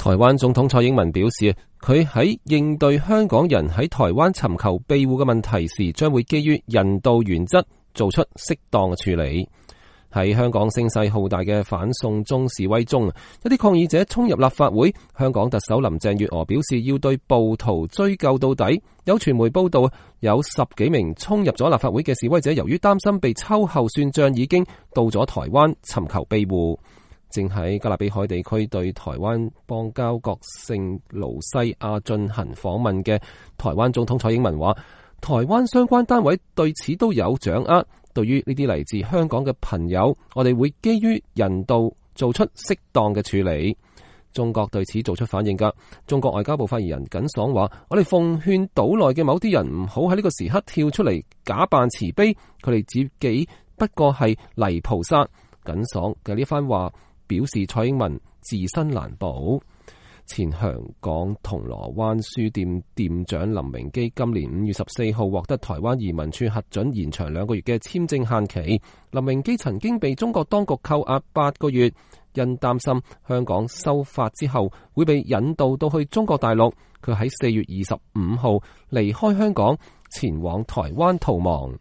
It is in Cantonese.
台灣總統蔡英文表示，佢喺應對香港人喺台灣尋求庇護嘅問題時，將會基於人道原則做出適當嘅處理。喺香港聲勢浩大嘅反送中示威中，一啲抗議者衝入立法會，香港特首林鄭月娥表示要對暴徒追究到底。有傳媒報道，有10幾名衝入咗立法會嘅示威者，由於擔心被秋後算賬，已經到咗台灣尋求庇護。正喺加勒比海地區對台灣邦交國聖盧西亞進行訪問嘅台灣總統蔡英文話，台灣相關單位對此都有掌握。對於呢啲嚟自香港嘅朋友，我哋會基於人道做出適當嘅處理。中國對此做出反應㗎。中國外交部發言人耿爽話，我哋奉勸島內嘅某啲人唔好喺呢個時刻跳出嚟假扮慈悲，佢哋自己不過係泥菩薩。耿爽嘅呢番話表示蔡英文自身難保。前香港銅鑼灣書店店長林榮基今年5月14號獲得台灣移民處核准延長2個月嘅簽證限期。林榮基曾經被中國當局扣押8個月，因擔心香港修法之後會被引渡到去中國大陸，佢喺4月25號離開香港前往台灣逃亡。